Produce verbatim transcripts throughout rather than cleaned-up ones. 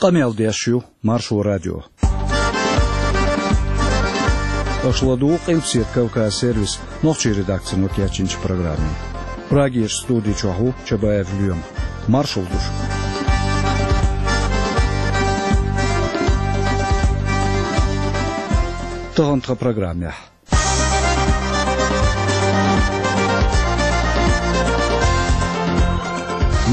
Къамел деш ю Маршо радио. Аша ладугӀу Къилбаседа Кавказ сервисан нохчийн редакцино кечйинчу программе. Прагерчу студи чохь ву Чабаев Лоьма. Маршалла ду шуьга. Тахана тхан программехь.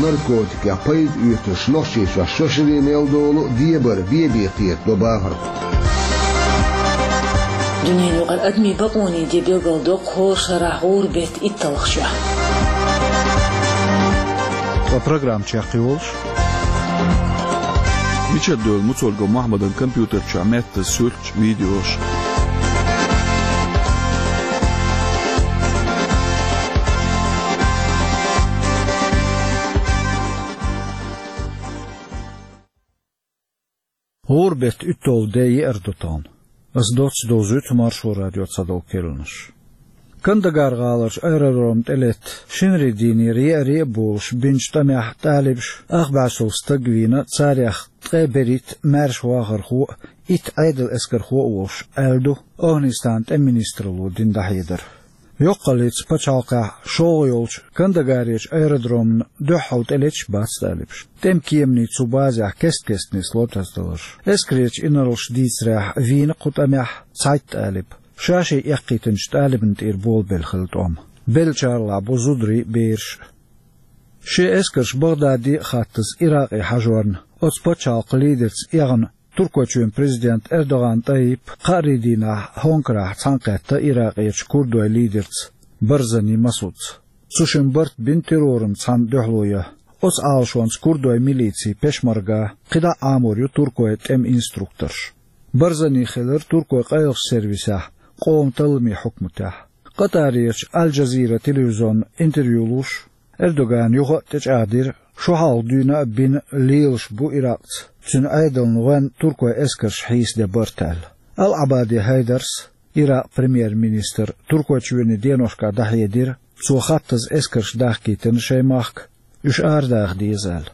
Наркотикех пайда оьцуш Нохчийчохь шо шаре мел долу дебар бен бен кхетадо бахархой. Дуьненан юкъара адамийн бакъонийн де билгалдоккху хӀора шарахь гӀуран беттан итталгӀачохь. Ткъа программа чекхйолуш. Мичара девлла Муцольгов Мохьмадан компьютер чохь меттаза суьрташ, видеош. ГӀуран беттан уьтталгӀа де еара ду тахана. Ас доцца довзуьйту Маршо радион цхьадолу керланаш. Кандагар гӀаларчу аэродромна тӀелетта шинарин дийнера еарий а болуш бинчу тӀамехь талибаша ах бӀе сов стаг вийна, царех ткъе берхӀитта маьрша вахархо а, итт Ӏедалан эскархо а волуш, аьлла ду Афганистанан тӀеман министралло дина дӀахьедар. Йоккхаллица пачхьалкхехь шолгӀа йолчу Кандагарерчу аэродромна дуьххьал тӀелеташ бац талибаш. ТӀеман кеманийн цу базехь кест-кестта нисло тасадаларш. Эскарерчу инарлаша дийцарехь, вийна кху тӀамехь цхьайтта талиб. Ша-шен эккхийтинчу талибна тӀера болабелла хилла тӀом. Беллачарлахь бу зударий а, бераш а. Шен эскарш Багдаде а хаттаза Иракъе хьажорна, оцу пачхьалкхан лидерца эгӀна Туркойчоьнан президента Эрдоган ТӀайипа кхаарин дийнахь Хонкарахь цхьаьнакхетта Иракъерчу курдойн лидерца Барзани Масудца. Цу шимма барт бина террорна цхьаьна дуьхьало ян. Оцу Ӏалашонца курдойн милици Пешмарга, кхидӀа а Ӏамор ю туркойн тӀеман инструкторш. Барзани хилира туркойн къайлахчу сервисехь, къоман талламийн хьукматехь. Къатарерчу Аль-Джазира телевизионна интервью луш, Эрдогана юха а тӀечӀагӀдира, шо хьалха дуьйна а бина лелаш бу Иракъца, цуьнан Ӏедална гӀоьнна туркойн эскарша хьийсаде барт аьлла. Ал-Ӏабади Хьайдарс, Иракъан премьер-министр, Туркойчоьнан деношкахь дӀахьедира, цо хаттаза эскарш дахкийтина шайн махка, уьш арадаха деза аьлла.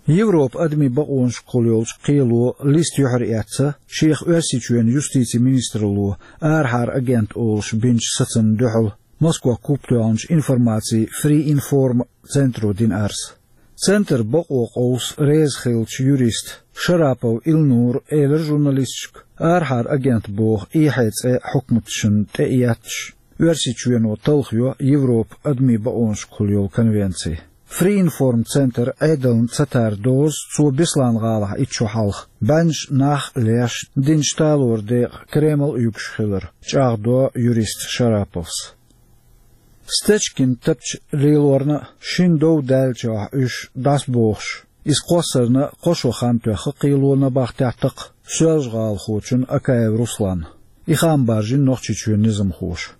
Европан адамийн бакъонашкахула йолчу кхело листа юьхьар эцна, шех Оьрсийчоьнан юстицин министралло арахьара агент олуш бинчу сацамна дуьхьал, Москох куп тоьхначу информацин Free Inform центро дина арз. Центран бакъо къовса реза хиллачу юриста Шарапов Илнура элира журналисташка, арахьара агент боху эхье цӀе хьукматашна тӀе а етташ, Оьрсийчоьно талхайо Европан адамийн бакъонашкахула йолу конвенци. Free Inform центр Ӏедална ца тара доза цо Беслан-гӀалахь итт шо хьалха, бӀеннаш нах а леш, динчу талоран декъан Кремль а юьгуш хилар, чӀагӀдо юриста Шараповс. Стечкин тапча лелорна а, шина дов даьллачохь уьш дӀасабохуш, иза кхоссарна а кхо шо хан тоьхна кхело набахтеттакх Соьлжа-ГӀалахочун Акаев Русланна. И хаам баржийна Нохчийчоьнан низамхоша.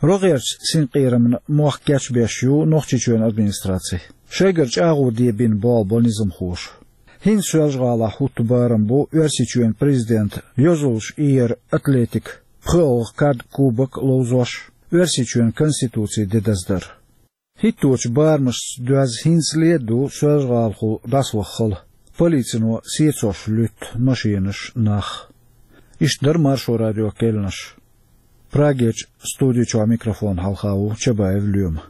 РогӀерчу синкъерамна мохк кечбеш ю Нохчийчоьнан администраци. Шайгара чӀагӀо де бина болх бо низамхоша. ХӀинца Соьлжа-ГӀалахь хӀутту барам бу Оьрсийчоьнан президентан йозаллаш иер атлетикан пхоьалгӀа кад, кубок ловзош, Оьрсийчоьнан Конституцин де даздар. ХӀитточу барамашца доьзна хӀинцале а ду Соьлжа-ГӀалахула дӀасаваха хала, полицино сецош луьтту машенаш, нах. Иштта дара Маршо радион керланаш. Прагерчу студи чохь микрофон хьалха ву Чабаев Лоьма.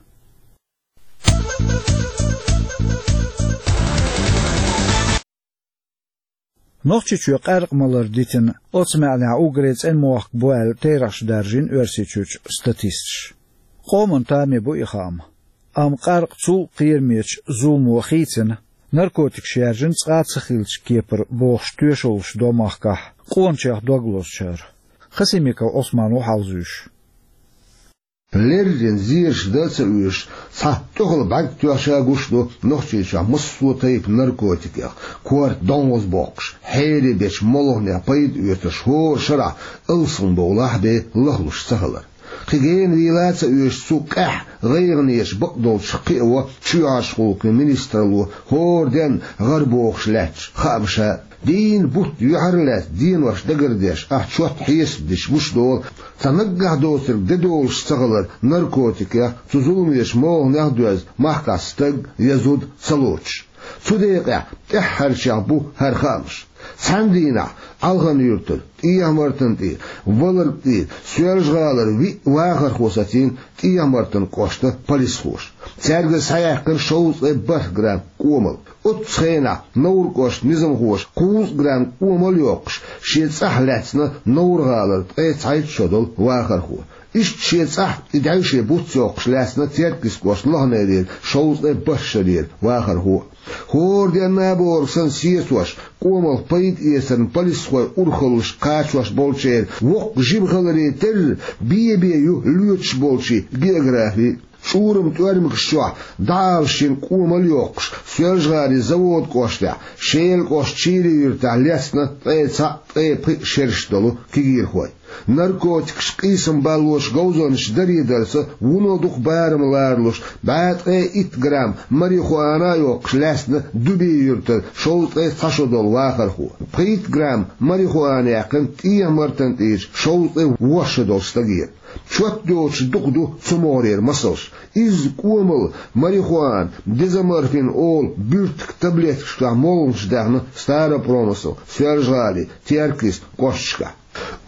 Нохчийчоь къаьркъа малар дитина, оцу маьӀнехь уггаре цӀена мохк бу аьлла, терахьаш даржийна Оьрсийчуьрчу статисташа. Къоман тамехь бу и хаам. Амма къаьркъа цул кхерамечу зуламо хийцина, наркотикаш яржина цкъа а ца хиллачу кепара бохуш тоьшаллаш до махкахь къоначех дог лозучара. Хасимиков Ӏусман ву хьалзуьйш. Леррина зераш дан а ца оьшуш, цхьа тӀехула бӀаьрг тоьхча гуш ду Нохчийчохь массо а тайпа наркотикех, корта донза боккхуш, хьере бечу молханех пайда оьцуш хӀора шарахь алсам бовлахь бен лахлуш ца хилар. Кхин гена вийла а ца оьшуш, цу къаьхьа гӀайгӀанеша бакъдолчух кхиаво чоьхьарчу гӀуллакхийн министралло хӀора денна гӀара бохуш лаьттачу хаамаша. Дийнна бутт юьхьарлаьцна денош дагардеш, ахь чот хьесап дича гуш долу, цхьа наггахь доцург де долуш ца хилар наркотикех, цу зуламечу молханех а доьзна, махкахь стаг я зуда ца лоцуш. Цу декъехь тӀаьххьарчех бу хӀара хаамаш. Цхьана дийнахь Ӏалхан-Юьртара, ТӀехьа-Мартан тӀера, Валарг тӀера, Соьлжа-ГӀалара виъ вахархо сацийна ТӀехьа-Мартан кӀоштан полисхоша. Цаьрга схьаяьккхина шовзткъе бархӀ грамм кӀомал. Оццу хенахь Невран кӀоштан низамхоша кхузткъа грамм кӀомал а йоккхуш, шен цӀахь лаьцна Невран-ГӀалара ткъе цхьайтта шо долу вахархо. Иштта шен цӀахь и даьвше буц йоккхуш лаьцна Теркйист кӀоштан Лохнерера шовзткъе бархӀ шарера вахархо. ХӀора денна а бохург санна сецош, кӀомалх пайда эцарна полисхой урхаллаш кхачош болчеран воккха жима хиларе терра, бен-бен ю лоьцуш болчийн географи. ЧӀуран тӀоьрмигаш чохь дӀаала шина кӀомал а йоккхуш, Соьлжа-ГӀалин Заводан кӀоштехь, Шелан кӀоштан Чийрин-Юьртахь лаьцна ткъе цхьаъ, ткъе пхиъ шераш долу кегийрхой. Наркотикаш къийсам баллош говзанчаш даре дарца вуно дукха барам лоралуш, бӀе ткъе итт грамм марихуана а йоккхуш лаьцна Дуьбен-Юьртара шовзткъе цхьа шо долу вахархо. Пхийтта грамм марихуана яьккхина ТӀехьа-Мартан тӀера шовзткъе ворхӀ шо долу стагера. Чот доцуш дукха ду цу могӀарера масалш. Изза кӀомал, марихуана, дезоморфин олу буьртиг таблеткашкахь молханаш даьхна Старопромыслан, Соьлжа-ГӀалин, Теркйистан кӀошташкахь.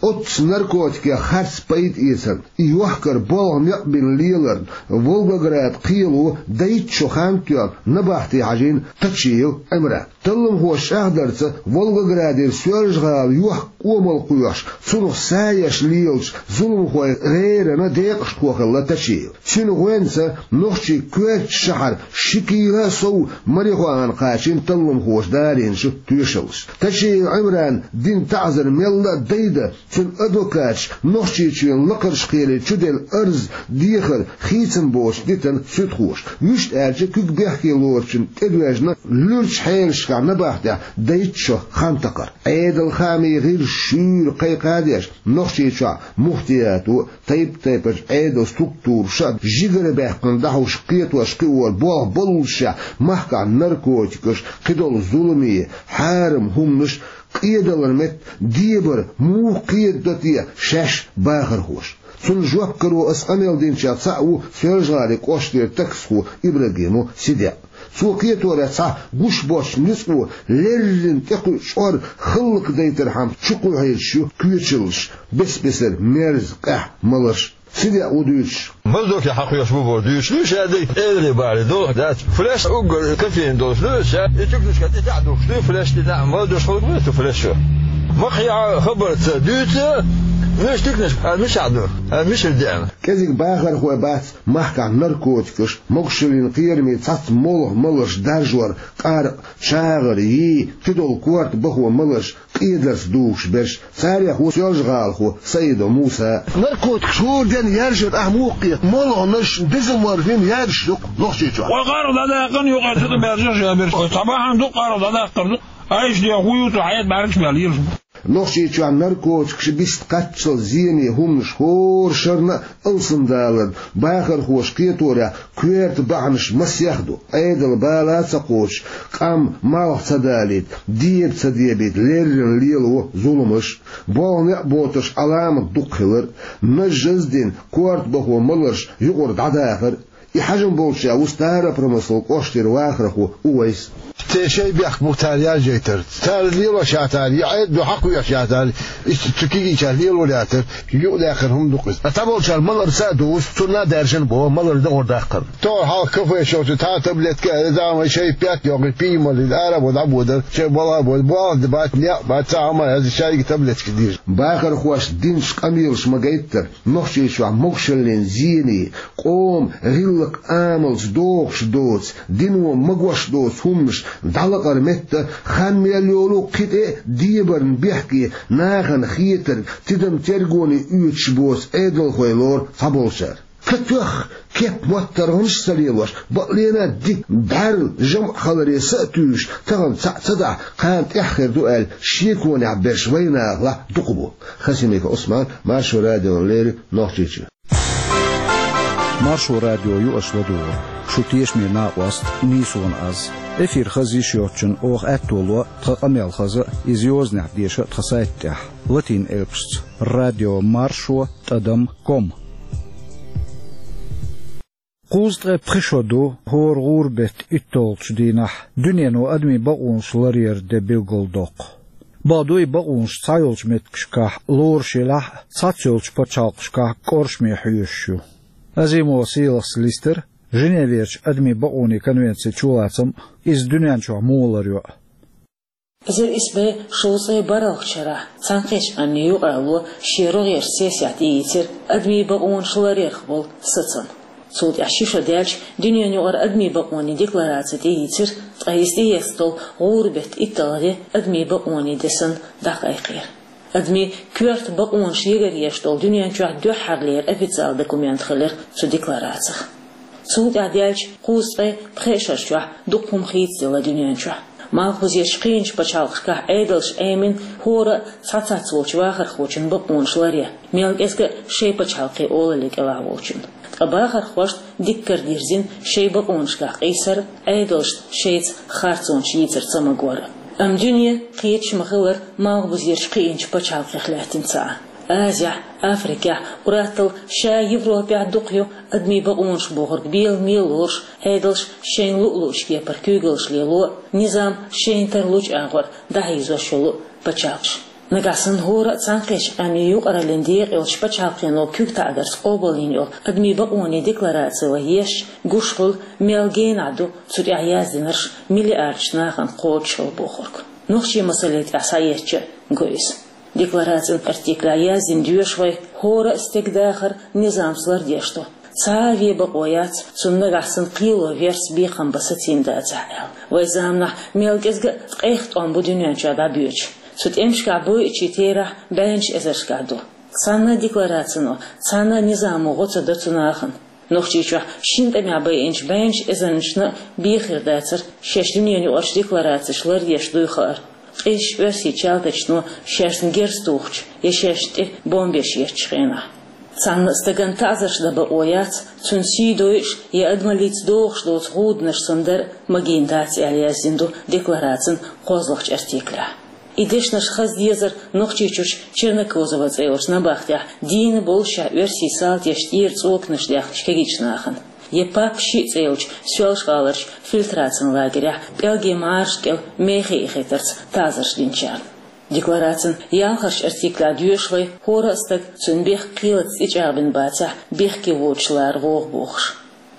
Оццу наркотикех харц пайда эцарна, и йохкар болх некъ бина леларна, Волгоград кхело дайтта шо хан тоьхна набахте хьажийна Тачиев Ӏимран. Талламхоша чӀагӀдарца, Волгоградера Соьлжа-ГӀала йохка кӀомал кхоьхьуш, цунах са еш лелачу зуламхойн гӀеран декъашхо хилла Тачиев. Цуьнан гӀоьнца нохчийн коьртачу шахьара ши кила а сов марихуана кхачийна талламхоша дарийначу тоьшаллаша. Тачиев Ӏимрана дина таӀзар мелла а дайда, цуьнан адвокаташа Нохчийчоьнан лакхарчу кхеле чуделла арз, дехар хийцам боцуш дитина суьдхоша. Вуьшта аьлча, куьг бехке лоручун тӀедоьжна луьрачу хьелашкахь набахтехь дайтта шо хан такхар. Ӏедалан хаамийн гӀирсаша шуьйра кхайкха а деш, Нохчийчохь муфтиято, тайп-тайпанчу Ӏедалан структураша а жигара баьккхина дӀахьуш кхетош кхиор болх боллушехь, махкахь наркотикаш, кхидолу зуламе, хьарам хӀуманаш, къедалан метта дебар муха кхедадо те шаьш бахархоша? Цунна жоп каро аса къамел динчех цхьаъ ву Соьлжа-ГӀалин кӀоштара таксхо Ибрагимов Сидикъ. Цо кхеторехь, цхьа гуш боцчу ницкъо леррина тӀекхуьу чкъор хӀаллакдайтархьама чукхоьхьуьйтуш ю коьчаллаш, бес-бесара мерза, къаьхьа маларш. Сидикъа ву дуьйцуш. Маздоке хьакхоьхьуш бу боху дуьйцуш. Нуьйш аьлла, эври бахьана ду, дац. Флеш уггар кофеин долуш ду, ша и чукнашка тӀе тӀехь духуш ду, флеш тӀе нахь, маздош хӀаллакбу цу флешо. Ма кхехьа хабарца дуьйцу, нуьйш тикнаш, а, мичахь ду, а, мичара деана. КӀезиг бахархой бац махкахь наркотикаш, могушаллин кхераме цхьацца молха маларш даржор, къаркъа, чагӀар, йий, кхидолу корта бахо маларш къедарца дугӀуш берш. Царех ву соьлжагӀалахо Саидов Муса. Наркотикаш хӀора денна яржар ахь муха кхета? Молханаш, дезоморфин яржаш ду-кх Нохчийчохь. Вай къаркъа дӀадаккхарна юкъара цу тӀе баьржаш а берш. Вай цхьа бахьана ду къаркъа дӀадаккхар ду. Айса ден хӀун ю цу хьайда бӀаьргаш мел лелаш бу. Нохчийчохь наркотикаш биста кхаччалц зене хӀуманаш хӀора шарна а алсамдаларна бахархоша кхеторехь коьрта бахьанаш масех ду. Ӏедалан бала а ца кхочуш, къам малх ца далийта, деба ца дебийта леррина лелаво зуламаш, болх некъ боцурш Ӏаламат дукха хилар, нажжаз а дина, корта бахо маларш юкъара дӀадахар. И хьажам болчарех ву Старопромыслан кӀоштара вахархо Увайс. Церан шайн бехк бу цара яржайтар. Цара лелош яцара, я Ӏедало хьакхоьхьуш яцара, иштта цу кегийчара лелор яцара, юкъадаьккхина хӀума ду-кх иза. Ткъа цхьаболчара маларца а дузу, цунна а даьржина боху, малар догӀур даккхар. Тохара хьалха кафе шо цу цхьа таблетка а, зама шайн пять йоккхуш, пий малийна, ара бо дӀабодар, шайн балха бо, болх бац, некъ бац, цхьа хӀума яц, шайга таблеткаш дийр. Бахархошна динчу къамелаша ма-гайттара, Нохчийчохь могушаллин зене, къоман гӀиллакх-амалца догӀуш доцу, дино магош доцу хӀуманаш дӀалакъара метта, хан мел йолу кхин тӀе а дебарна бехке, нахана хетарг, тидам тергоне оьцуш боцу Ӏедалхой лору цхьаболчара. Ка тоьхна, кеп-моттаргӀанаш а ца лелош, бакъ лена дика бӀаьрла жамӀ хиларе са а туьйсуш, тахана цхьаъ ца дахь, кхана тӀаьхьа хир ду аьлла, шеконехь берш вайнахалахь дукха бу. Хасимиков Ӏусман, Маршо радиона леррина, Нохчийчоь. Маршо радио ю аша ладугӀург. Шун тешаме накъост нийсонан аз. Эфир хаза йиш йоцчунна оха аьтто ло тхан къамел хаза а, иза йозанехь деша а тхан сайта тӀехь, латин элпашца: радио маршо тӀадам ком. Кхузткъе пхи шо ду хӀора гӀуран бетта итталгӀачу дийнахь дуьнено адамийн бакъонаш ларъяран де билгалдоккху. Бакъду, и бакъонаш цхьайолчу меттигашкахь лоруш елахь а, цхьаццайолчу пачхьалкхашкахь кӀоршаме хьоьшуш ю. Азимова Сийлахьас листира Женеверчу адамийн бакъонийн конвенцин чулацам а, иза дуьнен чохь муха ларйо а. Эзар исс бӀе шовзткъе бархӀалгӀачу шарахь Цхьаьнакхеттачу Къаьмнийн Юкъаралло шен рогӀерчу сессехь тӀеийцира адамийн бакъонаш ларъярх болу сацам. Цул тӀаьхьа ши шо даьлча, дуьненан юкъара адамийн бакъонийн деклараци тӀеийцира, ткъа иза тӀеэцна долу гӀуран бетта итталгӀа де адамийн бакъонийн де санна дӀакхайкхийра. Адамийн коьрта бакъонаш егар еш долу дуьнен чохь дуьххьарлера официалан документ хилира цу декларацих. Цул тӀаьхьа даьлча кхузткъе пхи шарчохь дукха хӀума хийцаделла дуьнен чохь. Малхбузерчу кхечу пачхьалкхашкахь Ӏедалша Ӏемина хӀора а цхьа цхьацца волчу вахархочун бакъонаш ларъян, мел кӀезга а шайн пачхьалкхийн олаллин кӀелахь волчун. Ткъа бахархошна дикка дирзина шайн бакъонашкахь къийсар а, Ӏедалшна шайца харцонаш йийцар ца магор а. Амма дуьне кхеташ ма-хиллара малхбузерчу кхечу пачхьалкхех лаьттина ца Ӏа. Азехь, Африкехь, уьттазза ша Европехь дукха ю адамийн бакъонаш бохург беламе лоруш, Ӏедалша шайна луъу-луучу кепара куьйгаллаш лело а, низам шайна тарлучу агӀор дӀахьийзош йолу а пачхьалкхаш. Нагахь санна хӀора а Цхьаьнакхеттачу Къаьмнийн Юкъараллин декъа йолчу пачхьалкхено куьг таӀзарца къобалйина йолу адамийн бакъонийн деклараци вай езча, гуш хуьлу, мел генахь ду цу тӀехь яздинарш миллиардаш нахана кхочушхила бохург. Нохчийн масале тӀехь схьаэцча а го иза. Декларацин артиклехь яздина доьшу вай, хӀора а стеган дахар низамца лардеш ду. Цхьа а вен бакъо яц, цунна нагахь санна кхело верца бекхам бан сацийна дацахь аьлла. Вайн заманахь мел кӀезга а ткъех тӀом бу дуьнен чохь дӀабоьдуш. Цу тӀемашкахь бойучийн терахь бӀеннаш эзаршкахь ду. Цхьана а декларацино, цхьана а низамо гӀо ца до цу нахана. Нохчийчохь шина тӀамехь байинчу бӀеннаш эзарнашна а бен хир дацара шаьш дуьненан юкъарчу декларацеша лардеш дуй хаар. Къизаш оьрсийн чалтачано шаьшна герз тухучу я шаьшна тӀе бомбеш еттачу хенахь. Цхьана а стагана таӀзарш дан бакъо яц, цуьнан сий дойуш я адамаллица догӀуш доцу гӀуданаш санна дар а магийна дац аьлла яздина ду декларацин кхозлагӀчу артиклехь. И дешнаш хаза дезара Нохчийчуьрчу Чернокозово цӀе йолчу набахтехь дийна боллушехь оьрсийн салташна тӀера цӀоканаш даьхначу кегийчу нахана, я Папа шиъ цӀе йолчу Соьлжа-ГӀаларчу фильтрацин лагерехь пӀелгийн мӀараш кӀел мехе эхийтарца таӀзарш динчарна. Декларацин ялхарчу артиклехь доьшу вай, хӀора а стаг цуьнан бехк кхелаца тӀечӀагӀбина бацахь, бехке воцуш лара вогӀу бохуш.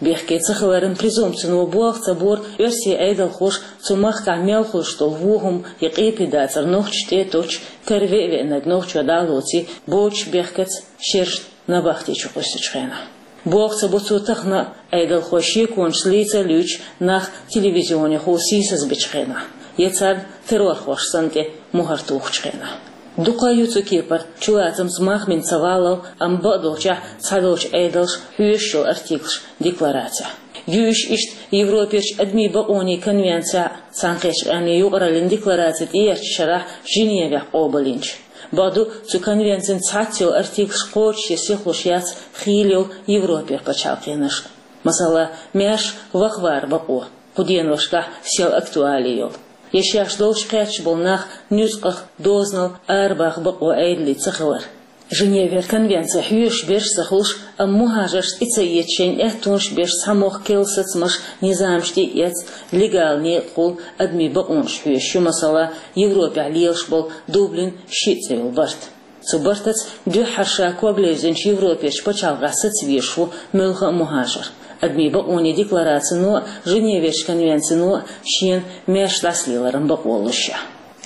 Бехке ца хиларан презумпцино болх ца бора оьрсийн Ӏедалхоша цу махкахь мел хуьлуш долу вон хӀума я къепе дацар нохчашна тӀе а тоттуш, кара веа-веанарг нохчо дӀа а лоций, боцуш бехкаца шерашна набахти чу къуьйсучу хенахь. Болх ца бо цо тахана а, Ӏедалхой шеконашца лийца а луьйчу нах телевизионехула сийсазбечу хенахь, я царна террорхоша санна тӀе мухӀар тухучу хенахь. Дукха ю цу кепара чулацамца мах бина ца валлал, амма бакъдолчехь цхьадолчу Ӏедалша хьоьшуш йолу артиклаш декларацехь. Ю уьш иштта Европерчу адамийн бакъонийн конвенцехь а, Цхьаьнакхеттачу Къаьмнийн Юкъараллин деклараци тӀеэцначу шарахь Женевехь къобалйинчу. Бакъду, цу конвенцин цхьацца йолу артиклаш кхочушъе сихлуш яц хийла йолу Европера пачхьалкхенаш. Масала, маьрша вахавара бакъо, кху деношкахь сел актуали йолу. Я шаьш долуш кхаьчча болу нах нуьцкъах, дозанал арабаха бакъо Ӏедале ца хилар. Женевера конвенци хьоьшуш берш а ца хуьлуш, амма мухӀажаршна тӀе ца эца шайна аьттонаш беш цхьа мохк керла сацамаш, низамаш тӀе а эцна, легала некъахула адамийн бакъонаш хьоьшуш ю, масала, Европехь лелаш болу Дублин шиъ цӀе йолу барт. Цу бартаца дуьххьара ша ког левзинчу Европерчу пачхьалкхехь саца везаш ву муьлхха а мухӀажар. Адамийн бакъонийн декларацино а, Женеверчу конвенцино а шена маьрша дӀасалеларан бакъо луш ша.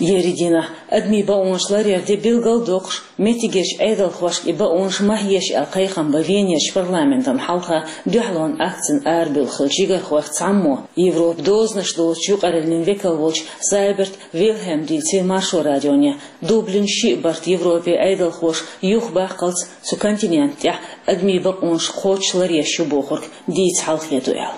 Ерриг дийнахь адамийн бакъонаш ларъяран де билгал а доккхуш, меттигерчу Ӏедалхошка и бакъонаш ма хьеша аьлла кхайкхам бан Венерчу парламентана хьалха дуьхьалонан акцина арабевлла хиллачу жигархойх цхьаммо, Европан дозанаш доцучу юкъараллин векал волчу Зайберт Вильхельма дийцира Маршо радионе, Дублин шиъ барт Европин Ӏедалхоша юхабаккхалц цу континента тӀехь адамийн бакъонаш кхоччуш ларъеш ю бохург дийца хьалхе ду аьлла.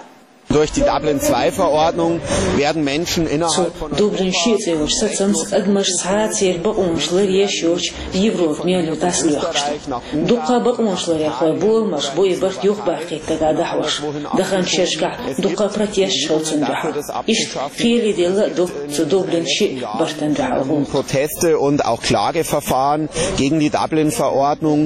Durch die Dublin-zwei-Verordnung werden Menschen Цу innerhalb von Дублин шиъ цӀе йолчу сацамца адамаш цхьа а церан бакъонаш ларъеш йоцуш Европа мел ю дӀасалоьхкуш ду. Дуккха а бакъонаш ларъярхой боламаш бу и барт юхабаккхийта дагахь дӀахьош. Даханчу шерашкахь дуккха а протесташ хилла цунна дуьхьал. Иштта кхеле делла а ду цу Дублин шиъ бартана дуьхьал гӀуллакх. Proteste und auch Klageverfahren gegen die Dublin-Verordnung.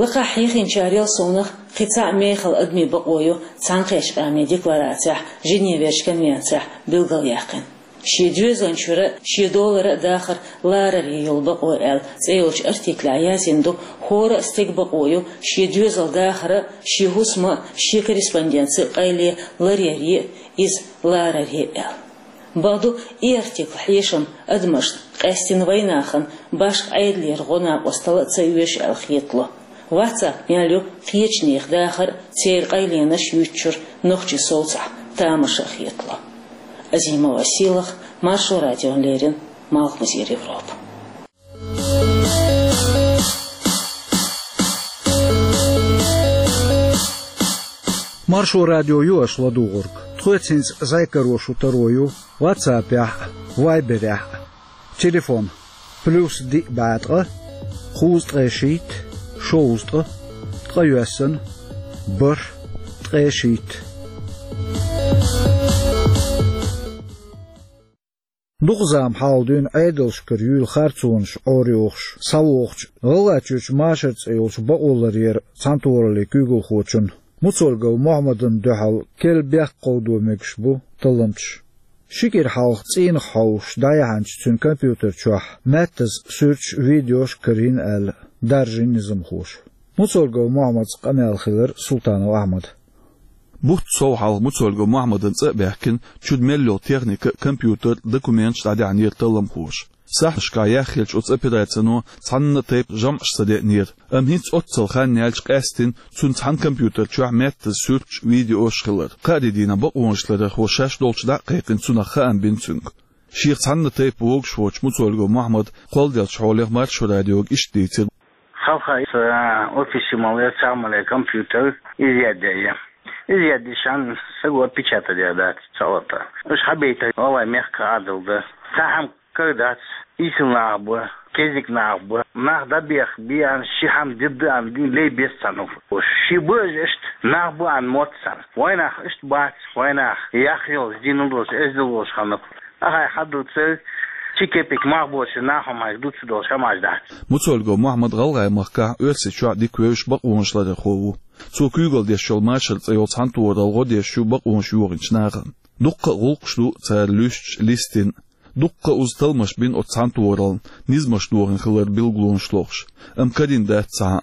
Лакхахь хьехинчарел совнагӀа кхин цхьа мехала адамийн бакъо ю Цхьаьнакхеттачу Къаьмнийн декларацехь, Женеверчу конвенцехь билгалъяьккхина. Шен доьзалан чуьра шен долара а дахар ларар йолу бакъо аьлла цӀе йолчу артиклехь яздина ду, хӀора а стеган бакъо ю шен доьзал дахар а, шен хӀусам а, шен корреспонденци а къайле ларъяр а, иза ларар а аьлла. Бакъду, и артикл хьешам адамашна, къаьстина вайнахана, башха Ӏедалера гӀо-накъосталла а ца оьшу аьлла хетало. WhatsApp мел ю кхечу нехан дахар а, церан къайленаш а юьйцучуьра нохчийн совцахь тамаша а хетало. Азимова Сийлаха, Маршо радиона леррина, Малхбузера Европа. Маршо радио ю аша ладугӀург. Тхоьца хӀинца зӀе каро шун таро ю WhatsApp-ехь а, Viber-ехь а. Телефон: плюс диъ бӀе ткъа, кхузткъе шийтта, шовзткъа, ткъе йоьссана, бархӀ, ткъе шийтта. Дукха зама хьалха дуьйна Ӏедалшкара юьйла харцонаш Ӏорайохуш схьавогӀучу, ГӀалгӀайчуьрчу Машар цӀе йолчу бакъо ларъяран цхьаьнатохараллин куьйгалхочун Муцольгов Мухьаммадан дуьхьал керла бехк кховдо мегаш бу талламчаш. Ши кӀира хьалха цӀийнах хьовсуш дӀаяьхьначу цуьнан компьютер чохь маьттаза суьрташ а, видеош а карийна аьлла, даржийна низамхоша. Муцольгов Мухьаммадца къамел хилира Султанов Ахьмада. Бутт сов хьалха Муцольгов Мухьаммадан цӀа а баьхкина, чуьра мел йолу техника а, компьютер а, документаш а дӀадаьхьнера талламхоша. Сахьташкахь яхъеллачу оцу операцино цхьанна а тайпа жамӀаш ца деънера, амма хӀинца оццул хан яьлча, къаьсттина цуьнан цхьана компьютер чохь маьттаза суьрташ а, видеош а хилар. Кхаарин дийнахь бакъонашларъярхо шаьш долчу дӀа а кхайкхина, цунах хаам бина цуьнга. Шех цхьанна а тайпа вогуш воцчу Муцольгов Мухьаммада кхолладеллачу хьолех Маршо радиога иштта дийцира. Хьалха иза офисе ма-аллара, цхьа ма-аллара компьютер изъять яьй. Изъять яьшшехь, саго печатать ян дац цхьа а лата. Уьш хьабайта гӀалгӀай мехкан Ӏадал ду. Цхьа хӀума кара дац, ийсала нах бу, кеззиг нах бу. Нах дӀабеха бен, ши хӀума дитта аьлла, лей беза царна. Ши бу уьш иштта, нах бу аьлла мотт царна. Вайнах иштта бац, вайнах яхъеллачу дийнахь долуш, эздел долуш ханна. Ахьа хьадуьйцу, ши кепек мах боцуш нах хӀуманаш дуьйцуш долуш хӀуманаш дац. Муцольгов Мухьаммад ГӀалгӀай махкахь, Оьрсийчохь дика вевзаш бакъонашларъярхо ву. Цо куьйгалла деш йолу Машар цӀе йолу цхьаьнатохаралла гӀо деш ю бакъонаш йохийначу нахана. Дуккха а гӀуллакхаш ду цара луьстуш, листина. Дуккха а уза талламаш бина оцу цхьаьнатохараллина, низамаш дохийна хиларан билгалонаш лохуш, амма карийна дац цхьа а.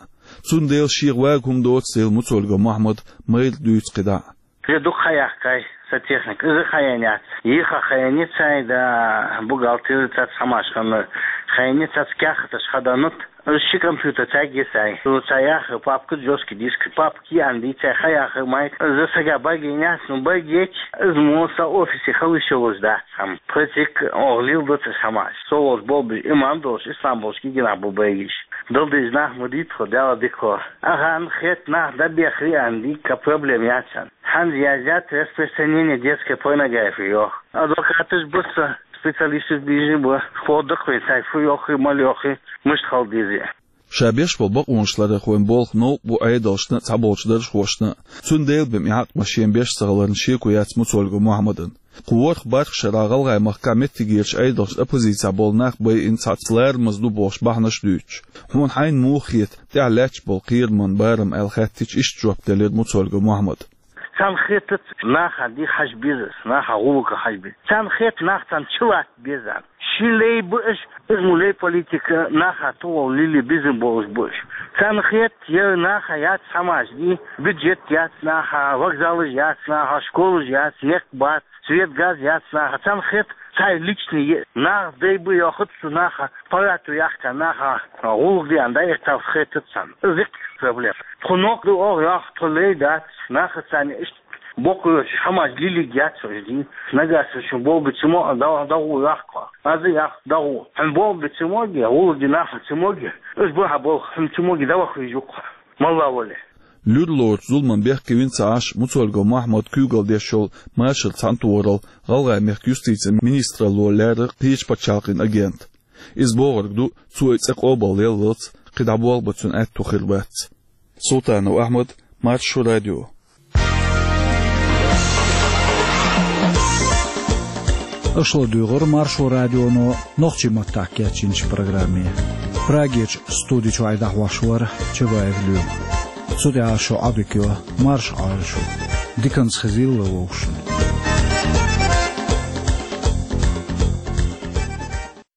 Цундела шех вага хӀума доцу дела, Муцольгов Мухьаммада майра дуьйцу кхидӀа а. Иза дукха хьаяьккхай сан техника. Иза хьаяьнна яц. Йиха хьаяьнна яц, сан да бухгалтер цаца хӀуманаш ханна, хьаяьнна яц, цаца кехаташ хьаданнут. Иза ши компьютер цаьрга йисай. Цо цхьа яхар папка, жёсткий диск, папка аьнна дийцай, хьаяхар майра. Иза сага бага йина яц, ну, бага йича, иза мо сан офисе хила йиш йолуш дац хӀума. Пхи цӀик оха лелла ду цхьа хӀуманаш. Со волчу болх беш имам долуш, ислам болуш кегий нах бу бага йиш. Дала деза нах ма дийца тхо, Дала дика хьо. Ахьа хетта нах дӀабехира аьлла, дика проблема яц царна. Хьанна язъян распространение детской порнографии йоху. Адвокаташ бу сан, специалисташ бийжина бу, хӀода даккхий цаьрга фу йохий, мала йохий, муьста хила дезий. Ша беш болу бакъонашларъярхойн болх новкъа бу Ӏедалшна а, цхьаболчу даржхошна а. Цундела бен и хьакъ ма шен беш ца хиларна шеко яц Муцольгов Мухьаммадан. Кху ворхӀ бархӀ шарахь ГӀалгӀай махкахь меттигерчу Ӏедалшна оппозицехь болу нах байина цхьацца ларамаза ду бохуш бахьанаш а дуьйцуш. Хьуна хьайна муха хета тӀехь лаьтташ болу кхераман барам аьлла хаьттича, иштта жоп делира Муцольгов Мухьаммада. Царна хетац наха дика хьажа беза, наха гӀуллакх хьажа беза. Царна хета нах царна чулатта беза. Ши лей бу уьш, иза мо лей политика, наха тӀехула лили безам болуш бу уьш. Царна хета, я наха яц хӀуманаш дий, бюджет яц наха, вокзалаш яц наха, школаш яц, некъ бац, свет, газ яц наха. Царна хета цхьа личный е-, нах дай бу йохуц цу наха, паргӀато яхка наха, гӀуллакх деана дӀаэцалц хетац царна. Иза дика проблема. Тхо нохк ду оха йоху, тхо лей дац, наха царна иштта боккъалла хӀуманаш лилиг яц уьш дий. Нагахь санна шун болх бен ца могий, дагӀо, дагӀо йохку. Аза йохку, дагӀо. Хьуна болх бен ца могий, гӀуллакх де нах ца могий, уьш бу хьан болх, хьуна ца могий, дӀаваха веза кхо. Малла вале. Луьра лоручу зуламан бехке вина ца Ӏаш, Муцольгов Мухьаммада куьйгалла деш йолу Машар цхьаьнатохаралла ГӀалгӀай мехкан юстицин министралло лаьрра кхечу пачхьалкхийн агент. Иза бохург ду, цо и цӀе къобалъяллалц кхидӀа болх бан цуьнан аьтто хир бац. Султанов Ахьмад, Маршо радио. Аша ладуьйгӀира Маршо радионо нохчийн маттахь кечйинчу программе. Прагерчу студи чуьра дӀахьош вара Чабаев Лёма. Цу тӀехь шун Ӏодика йо, марша Ӏойла шу. Диканца хезийла вовшашна.